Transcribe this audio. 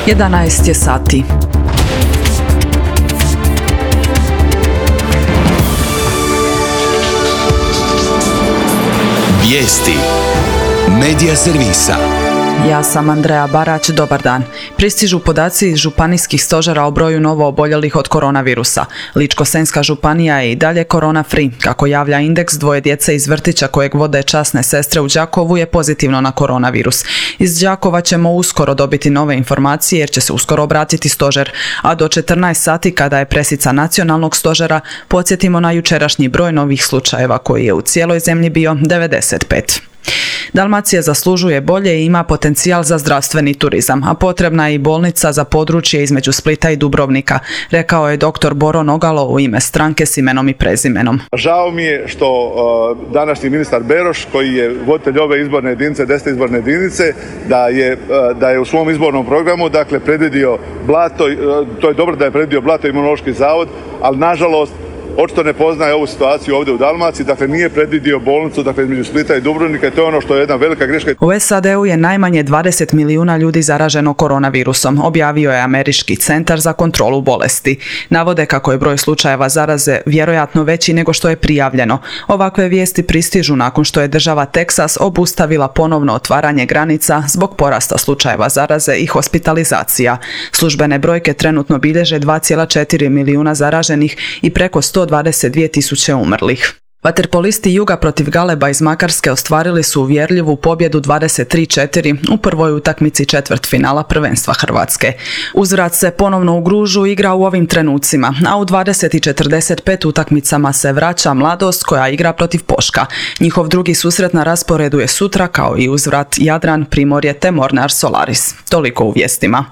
11 je sati. Vijesti Medija servisa. Ja sam Andreja Barać, dobar dan. Pristižu podaci iz županijskih stožera o broju novo oboljelih od koronavirusa. Ličko-senjska županija je i dalje korona free. Kako javlja indeks, 2 djece iz vrtića kojeg vode časne sestre u Đakovu je pozitivno na koronavirus. Iz Đakova ćemo uskoro dobiti nove informacije jer će se uskoro obratiti stožer. A do 14 sati kada je presica nacionalnog stožera, podsjetimo na jučerašnji broj novih slučajeva koji je u cijeloj zemlji bio 95. Dalmacija zaslužuje bolje i ima potencijal za zdravstveni turizam, a potrebna je i bolnica za područje između Splita i Dubrovnika, rekao je dr. Boro Nogalo u ime stranke s imenom i prezimenom. Žao mi je što današnji ministar Beroš, koji je voditelj ove izborne jedinice, 10. izborne jedinice, da je u svom izbornom programu predvidio Blato, to je dobro da je predvidio Blato i Imunološki zavod, ali nažalost očito ne poznaje ovu situaciju ovdje u Dalmaciji, nije predvidio bolnicu između Splita i Dubrovnika i to je ono što je jedna velika greška. U SAD-u je najmanje 20 milijuna ljudi zaraženo koronavirusom, objavio je Američki centar za kontrolu bolesti. Navode kako je broj slučajeva zaraze vjerojatno veći nego što je prijavljeno. Ovakve vijesti pristižu nakon što je država Teksas obustavila ponovno otvaranje granica zbog porasta slučajeva zaraze i hospitalizacija. Službene brojke trenutno bilježe 2,4 milijuna zaraženih i preko 122.000 umrlih. Vaterpolisti Juga protiv Galeba iz Makarske ostvarili su uvjerljivu pobjedu 23-4 u prvoj utakmici četvrtfinala prvenstva Hrvatske. Uzvrat se ponovno u Gružu igra u ovim trenucima, a u 20:45 utakmicama se vraća Mladost koja igra protiv Poška. Njihov drugi susret na rasporedu je sutra kao i uzvrat Jadran, Primorje te Mornar Solaris. Toliko u vijestima.